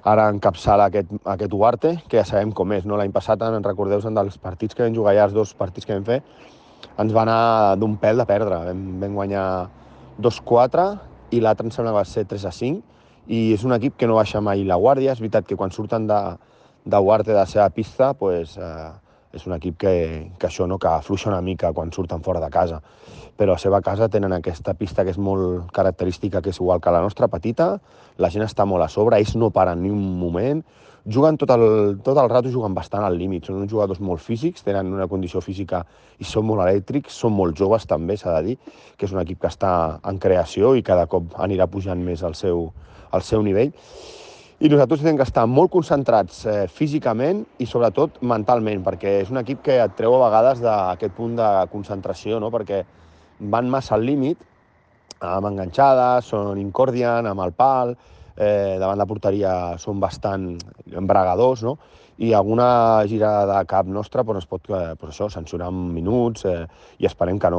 ara encapçala aquest Huarte, que ja sabem com és, no? L'any passat, recordeu-vos dels partits que vam jugar allà, els 2 partits que vam fer, ens va anar d'un pèl de perdre. Vam guanyar 2-4 i l'altre em sembla que va ser 3-5, i és un equip que no baixa mai la guàrdia. És veritat que quan surten de Huarte, de la seva pista, pues, és un equip que això, no? Que afluixa una mica quan surten fora de casa. Però a la seva casa tenen aquesta pista que és molt característica, que és igual que la nostra, petita, la gent està molt a sobre, ells no paren ni un moment, juguen tot el rato, juguen bastant al límit, són uns jugadors molt físics, tenen una condició física i són molt elèctrics, són molt joves també, s'ha de dir, que és un equip que està en creació i cada cop anirà pujant més al seu nivell. I nosaltres hem que estar molt concentrats físicament i sobretot mentalment, perquè és un equip que et treu a vegades d'aquest punt de concentració, no? Perquè van massa al límit, amb enganxades, són incordiant, amb el pal, davant la porteria són bastant embragadors, no? I alguna girada de cap nostra pues, es pot sancionar en minuts i esperem que no.